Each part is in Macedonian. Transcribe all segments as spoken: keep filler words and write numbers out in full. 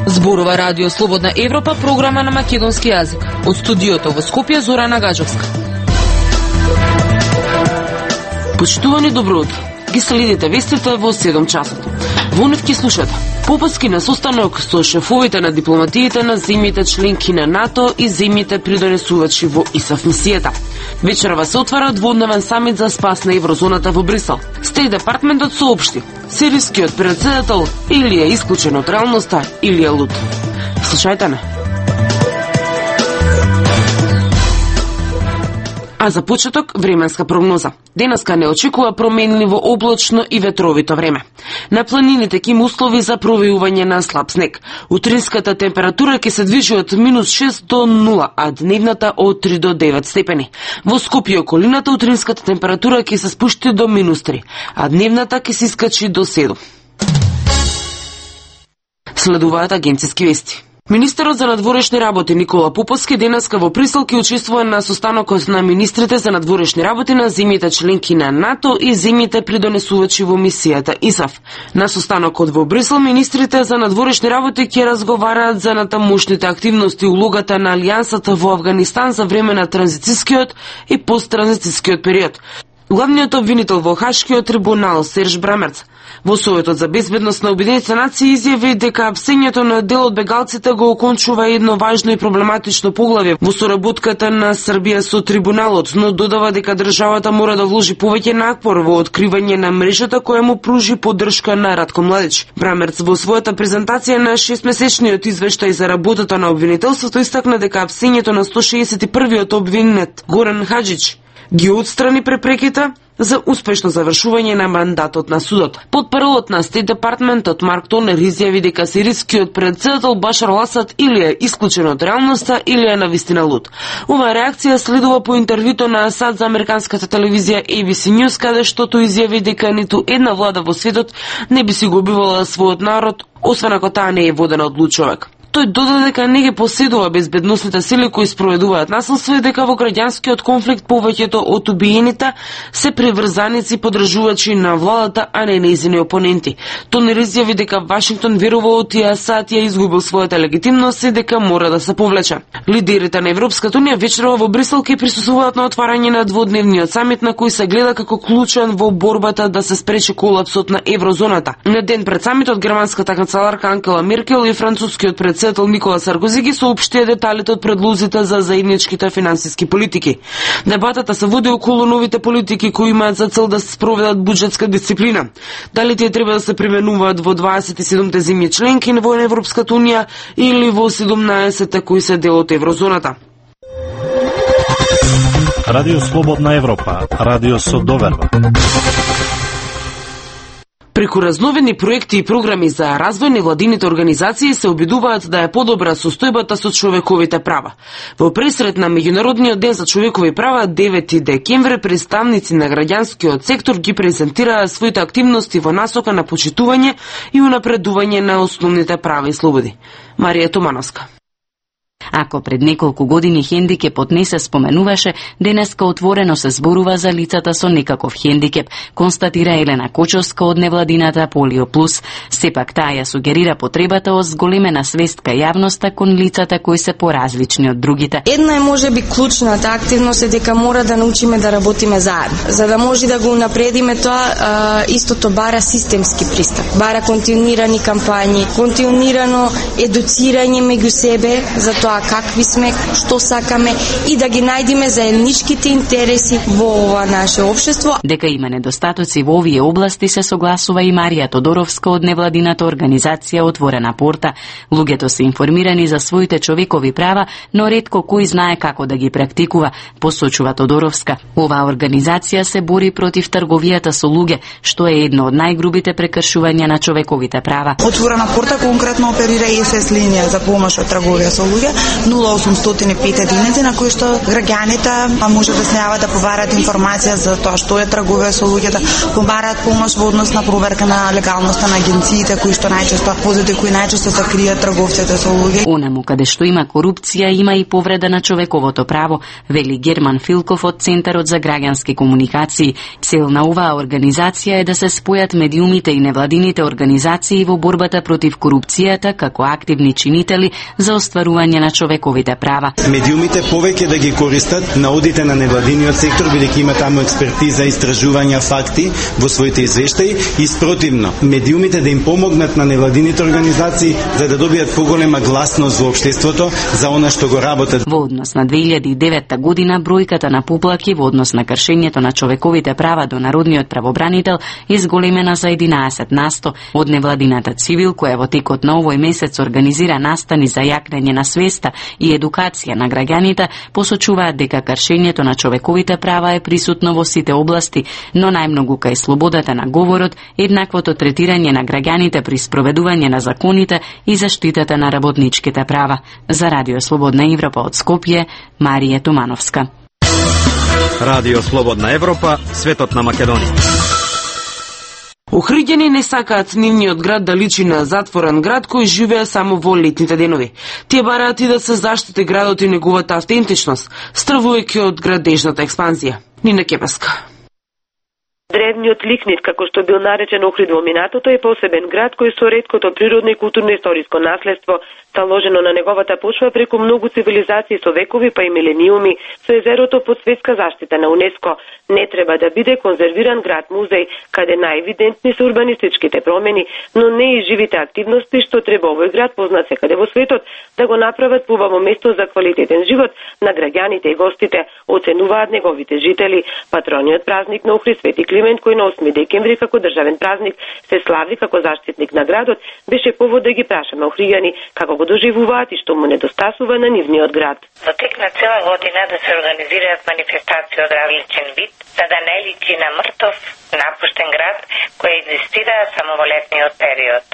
Зборува Радио Слободна Европа, програма на македонски јазик. Од студиото во Скопје, Зорана Гаджовска. Почитувани, добро утро. Ги следите вестите во седум часот. Во нив ќе слушате попуски на состанок со шефовите на дипломатиите на земјите членки на НАТО и земјите придонесувачи во ИСАФ мисијата. Вечерва се отвара дводневен самит за спас на еврозоната во Брисел. Стејт департментот соопшти: сирискиот претседател или е исклучен од реалноста, или е луд. Слушајте не. А за почеток, временска прогноза. Денеска не очекува променливо облачно и ветровито време. На планините ќе има услови за провејување на слаб снег. Утринската температура ќе се движи од минус шест до нула, а дневната од три до девет степени. Во Скопје и околината утринската температура ќе се спушти до минус три, а дневната ќе се искачи до седум. Следуваат агенциски вести. Министерот за надворешни работи Никола Поповски денеска во Брисел ќе учествува на состанокот на министрите за надворешни работи на земјите членки на НАТО и земјите придонесувачи во мисијата ИСАФ. На состанокот во Брисел министрите за надворешни работи ќе разговараат за натамошните активности и улогата на алијансата во Авганистан за време на транзицискиот и посттранзицискиот период. Главниот обвинител во Хашкиот трибунал Серж Брамерц во Советот за безбедност на Обединетите нации изјави дека апсењето на дел од бегалците го окончува едно важно и проблематично поглавје во соработката на Србија со трибуналот, но додава дека државата мора да вложи повеќе напор во откривање на мрежата која му пружи поддршка на Ратко Младич. Брамерц во својата презентација на шестмесечниот извештај за работата на обвинителството истакна дека апсењето на сто шеесет и првиот обвинет Горан Хаџич ги отстрани препреките за успешно завршување на мандатот на судот. Потпрвот на Стејт департментот Марк Тонер изјави дека сирискиот претседател Башар ал-Асад или е исклучен од реалноста, или е навистина луд. Оваа реакција следува по интервјуто на Асад за американската телевизија A B C News, каде што тој изјави дека ниту една влада во светот не би си го убивала својот народ, освен ако таа не е водена од луд човек. Тој додаде дека не ги поседува безбедносните сили кои спроведуваат насилство и дека во граѓанскиот конфликт повеќето од убиените се приврзаници подржувачи на владата, а не нејзини опоненти. Тонер изјави дека Вашингтон верува од и Асад ја изгубил својата легитимност и дека мора да се повлече. Лидерите на Европската унија вечерва во Брисел ќе присуствуваат на отварање на дводневниот самит на кој се гледа како клучен во борбата да се спречи колапсот на еврозоната. На ден пред самитот германската канцеларка Ангела Меркел и францускиот председател Никола Саркози ги соопштија деталите од предлозите за заедничките финансиски политики. Дебатата се води околу новите политики кои имаат за цел да се спроведат буџетска дисциплина. Дали тие треба да се применуваат во дваесет и седумте земји членки во Европската унија или во седумнаесетте кои се дел од еврозоната. Радио Слободна Европа, радио со доверба. Преку разновидни проекти и програми за развој, невладините организации се обидуваат да е подобра состојбата со човековите права. Во пресрет на Меѓународниот ден за човекови права девети декември представници на граѓанскиот сектор ги презентираа своите активности во насока на почитување и унапредување на основните права и слободи. Марија Томановска. Ако пред неколку години хендикепот не се споменуваше, денеска отворено се зборува за лицата со некаков хендикеп, констатира Елена Кочовска од невладината Полио Плюс. Сепак таа ја сугерира потребата од зголемена свест кај јавноста кон лицата кои се поразлични од другите. Една е можеби клучната активност е дека мора да научиме да работиме заедно. За да може да го унапредиме тоа, а, истото бара системски пристап. Бара континуирани кампањи, континуирано едуцирање меѓу себе за тоа какви сме, што сакаме и да ги најдиме заедничките интереси во ова наше општество. Дека има недостатоци во овие области се согласува и Марија Тодоровска од невладината организација Отворена порта. Луѓето се информирани за своите човекови права, но ретко кој знае како да ги практикува, посочува Тодоровска. Оваа организација се бори против трговијата со луѓе, што е едно од најгрубите прекршувања на човековите права. Отворена порта конкретно оперира и ес ес линија за помош од трговија со луѓе, нула осумстотини и пет единици на кои што граѓаните може да се јават да побарат информација за тоа што е тргува со луѓето, побарат помош во однос на проверка на легалноста на агенциите кои што најчесто возите кои најчесто се кријат трговците со луѓе. Онаму каде што има корупција, има и повреда на човековото право, вели Герман Филков од Центарот за граѓански комуникации. Цел на оваа организација е да се спојат медиумите и невладините организации во борбата против корупцијата како активни чинители за остварување на човековите права. Медиумите повеќе да ги користат наудите на невладиниот сектор, бидејќи има таму експертиза, истражувања, факти во своите извештаи, и спротивно, медиумите да им помогнат на невладините организации за да добијат поголема гласност во општеството за она што го работат. Во однос на две илјади и девета година, бројката на поплаки во однос на кршењето на човековите права до народниот правобранител изголемена за единаесет на сто. Од невладината цивил, која во текот на овој месец организира настани за јакнење на свеста и едукација на граѓаните, посочуваат дека кршењето на човековите права е присутно во сите области, но најмногу кај слободата на говорот, еднаквото третирање на граѓаните при спроведување на законите и заштитата на работничките права. За Радио Слободна Европа од Скопје, Марија Тумановска. Радио Слободна Европа, светот на Македонија. Охриѓани не сакаат нивниот град да личи на затворен град кој живее само во летните денови. Тие бараат и да се заштити градот и неговата автентичност, стравувајќи од градежната експанзија. Нина Кепеска. Древниот Ликнит, како што бил наречен Охрид во минатото, е посебен град кој со реткото природно и културно-историско наследство, заложено на неговата почва преку многу цивилизации со векови па и милениуми, со езерото под светска заштита на УНЕСКО, не треба да биде конзервиран град-музеј, каде најевидентни се урбанистичките промени, но не и живите активности што треба овој град, познат секаде во светот, да го направат поубаво место за квалитетен живот на граѓаните и гостите, оценуваат неговите жители. Патрониот празник на Охрид, Свети Климент, кој на осми декември како државен празник се слави како заштитник на градот, беше повод да ги прашаме охриѓани како го доживуваат и што му недостасува на нивниот град. Во тек на цела година да се организираат манифестации од различен вид, за да не личи на мртов, напуштен град кој екзистира само во летниот период.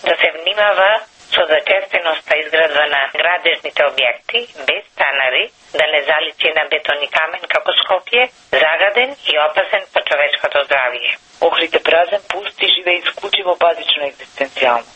Да се внимава со зачестеноста изградба на градежните објекти, без станари, да не заличи на бетон и камен како Скопје, загаден и опасен по човечкото здравје. Охрид е празен, пуст и живее исклучиво базично екзистенцијално.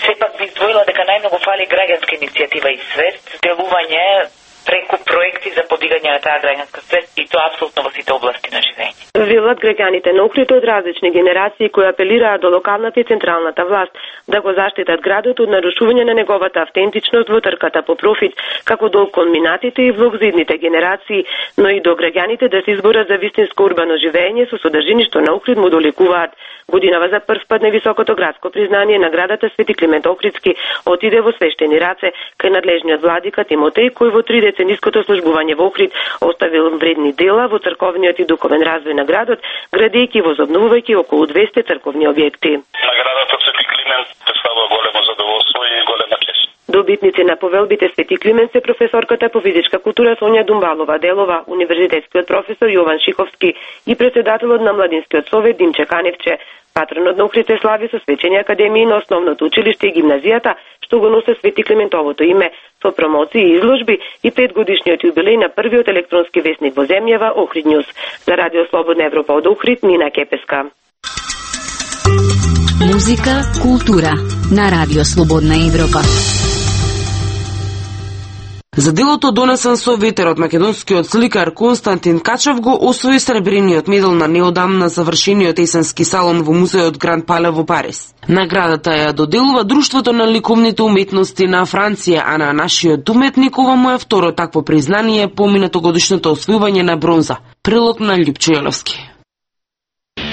Сепак би издвоила дека најмногу фали граѓанска иницијатива и свест, делување преку проекти за подигање на таа граѓанска свест, и тоа апсолутно во сите области на живење. Велат граѓаните на Охрид од различни генерации кои апелираат до локалната и централната власт да го заштитат градот од нарушување на неговата автентичност во трката по профит, како долг кон минатите и влог за идните генерации, но и до граѓаните да се изборат за вистинско урбано живење со содржини што на Охрид му долекуваат. Годинава за прв пат највисокото градско признание наградата Свети Климент Охридски отиде во свештени раце кај надлежниот владика Тимотеј, кој во три децениското службување во Охрид оставил вредни дела во црковниот и духовен развој на градот, градејќи и возобновувајќи околу двесте црковни објекти. Наградата Свети Климент представува големо задоволство и голема чест. Добитници на повелбите Свети Климент се професорката по физичка култура Сонја Думбалова Делова, универзитетскиот професор Јован Шиковски и председателот на Младинскиот совет Димче Каневче. Патронот на Охрид се слави со свечени академии на основното училиште и гимназијата, што го носи Свети Климентовото име, со промоции и изложби и петгодишниот јубилеј на првиот електронски весник во земјава Охрид Ньюс. За Радио Слободна Европа од Охрид, Нина Кепеска. Музика, култура на Радио Слободна Европа. За делото донесен со ветерот, македонскиот сликар Константин Качев го освои сребрениот медал на неодамна завршениот есенски салон во музеот Гранд Пале во Париз. Наградата ја доделува Друштвото на ликовните уметности на Франција, а на нашиот уметник ова му е второ такво признание по минатогодишното освојување на бронза. Прилог на Љупчо Јеловски.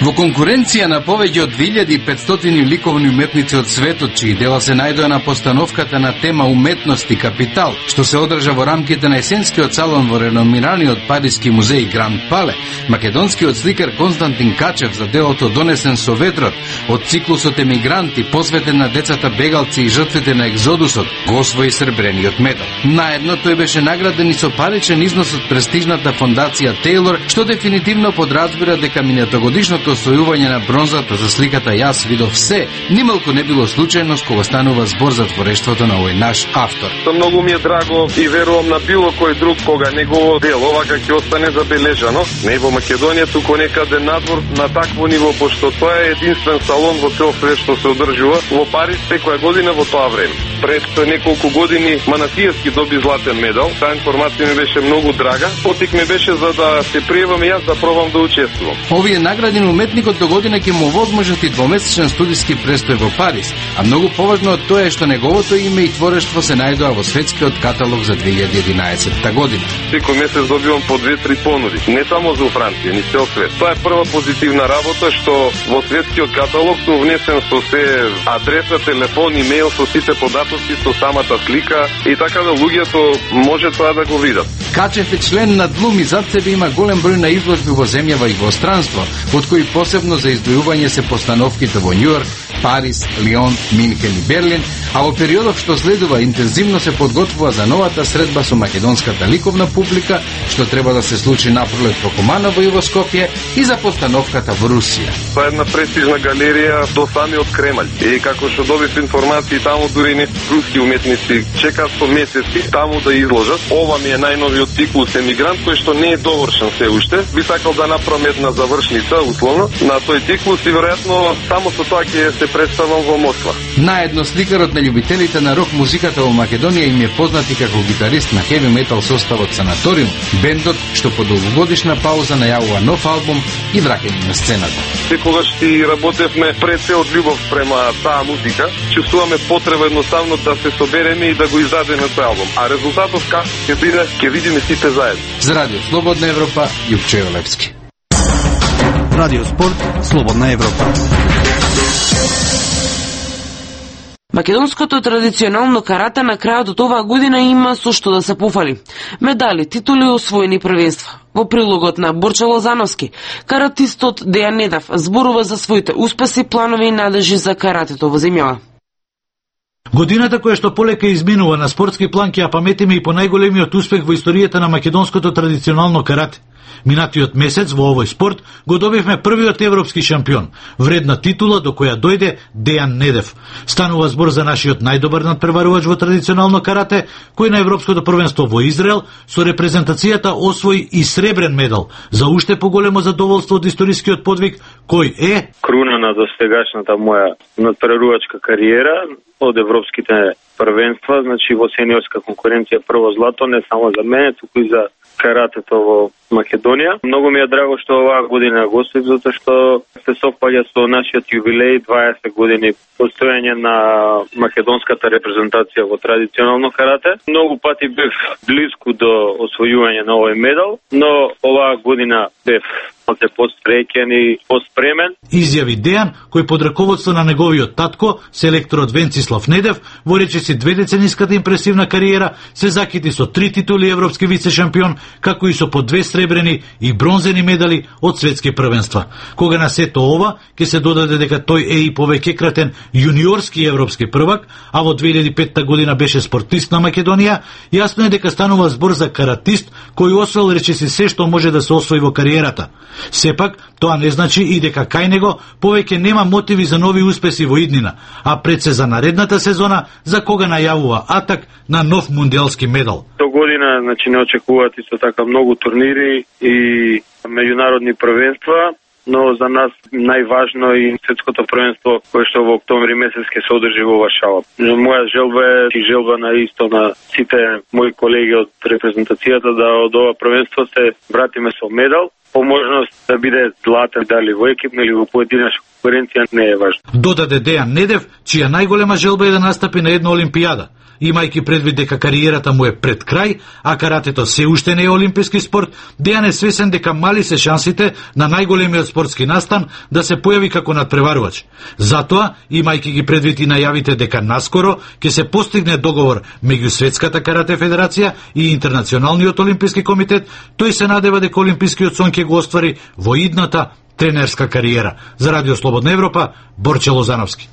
Во конкуренција на повеќе од две илјади и петстотини ликовни уметници од светот, чии дела се најдоа на постановката на тема Уметност и капитал, што се одржа во рамките на есенскиот салон во реномираниот париски музеј Гранд Пале, македонскиот сликар Константин Качев за делото Донесен со ветрот од циклусот Емигранти, посветен на децата бегалци и жртвите на екзодусот, го освои сребрениот медал. Наедно тој беше награден и со паричен износ од престижната фондација Тейлор, што дефинитивно подразбира дека минатогодишното историско освојување на бронзата за сликата Јас видов се, нималку не било случајност кога станува збор за творештвото на овој наш автор. Многу ми е драго и верувам на било кој друг кога негово дело вака ќе остане забележано, не во Македонија, туку некаде надвор на такво ниво, пошто тоа е единствен салон во цел свет што се одржува во Париз секоја година во тоа време. Пред неколку години Манасиевски доби златен медал. Таа информација ми беше многу драга. Потик ми беше за да се пријавам јас да пробам да учествувам. Овие награди на уметникот до година ќе му возможат и двомесечен студиски престој во Париз, а многу поважно од тоа е што неговото име и творештво се најдоа во светскиот каталог за две илјади и единаесетта година. Секој месец добивам по две-три понуди, не само за Франција, ни цел свет. Тоа е прва позитивна работа што во светскиот каталог сум внесен со се адреса, телефон, имејл, со сите податоци, со самата слика и така да луѓето може тоа да го видат. Качев е член на ДЛУМ и зад себе има голем број на изложби во земјава и во странство, од кои посебно за издвојување се постановките во Њујорк, Париз, Лион, Минхен и Берлин, а во периодов што следува интензивно се подготвува за новата средба со македонската ликовна публика, што треба да се случи напролет во Куманово и во Скопје, и за постановката во Русија. Тоа е една престижна галерија до самиот Кремљ. И како што добив информации, таму дури не руски уметници чекаат со месеци таму да изложат. Ова ми е најновиот циклус Емигрант, кој што не е довршен се уште. Би сакал да направам една завршница, условно, на тој циклус и веројатно само со тоа ќе се представам во Москва. Наедно сликарот на љубителите на рок музиката во Македонија им е познат и како гитарист на хеви метал составот Санаториум, бендот што по долгогодишна пауза најавува нов албум и враќање на сцената. Секогаш си работевме пред се од љубов према таа музика, чувствуваме потреба едноставно да се собереме и да го издадеме тој албум. А резултатот како ќе биде, ќе видиме сите заедно. За Радио Слободна Европа, Јупче Олевски. Радио Спорт, Слободна Европа. Македонското традиционално карате на крајот од оваа година има со што да се пофали. Медали, титули и освоени првенства. Во прилогот на Борче Лозановски, каратистот Дејан Недев зборува за своите успеси, планови и надежи за каратето во земјава. Годината која што полека изминува на спортски план ќе ја паметиме и по најголемиот успех во историјата на македонското традиционално карате. Минатиот месец во овој спорт го добивме првиот европски шампион, вредна титула до која дојде Дејан Недев. Станува збор за нашиот најдобар надпреварувач во традиционално карате, кој на европското првенство во Израел со репрезентацијата освои и сребрен медал, за уште поголемо задоволство од историскиот подвиг, кој е круна на достигашната моја надпреварувачка кариера од европските првенства, значи во сениорска конкуренција прво злато, не само за мене, туку и за каратето во Македонија. Многу ми е драго што оваа година гостив, затоа што се совпаѓа со нашиот јубилеј дваесет години постоење на македонската репрезентација во традиционално карате. Многу пати бев близко до освојување на овој медал, но оваа година бев малку постсреќен и постпремен. Изјави Дејан, кој под раководство на неговиот татко, селекторот Венцислав Недев, во речиси две децениската импресивна кариера, се закити со три титули европски вице-шампион, како и со по две сребрени и бронзени медали од светски првенства. Кога на сето ова, ќе се додаде дека тој е и повеќекратен јуниорски европски првак, а во две илјади и петта година беше спортист на Македонија, јасно е дека станува збор за каратист кој освоил речиси се што може да се освои во кариерата. Сепак, тоа не значи и дека кај него повеќе нема мотиви за нови успеси во иднина, а пред се за наредната сезона, за кога најавува атак на нов мундијалски медал. До година, значи, не очекуваат исто така многу турнири и меѓународни првенства, но за нас најважно и светското првенство кое што во октомври месец ќе се одржи во Варшава. Моја желба е и желба на исто на сите мои колеги од репрезентацијата да од ова првенство се вратиме со медал. По можност да биде златен, дали во екипна или во поединечна конкуренција не е важно. Додаде Дејан Недев, чија најголема желба е да настапи на една олимпијада. Имајќи предвид дека кариерата му е пред крај, а каратето се уште не е олимписки спорт, Дејан е свесен дека мали се шансите на најголемиот спортски настан да се појави како надпреварувач. Затоа, имајќи ги предвид и најавите дека наскоро ќе се постигне договор меѓу Светската карате федерација и Интернационалниот олимписки комитет, тој се надева дека олимпискиот сон ќе го оствари во идната тренерска кариера. За Радио Слободна Европа, Борче Лозановски.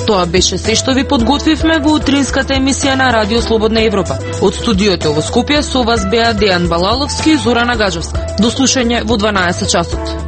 Тоа беше се што ви подготвивме во утринската емисија на Радио Слободна Европа. Од студиото во Скопје со вас беа Дејан Балаловски и Зорана Гаджевска. До слушање во дванаесет часот.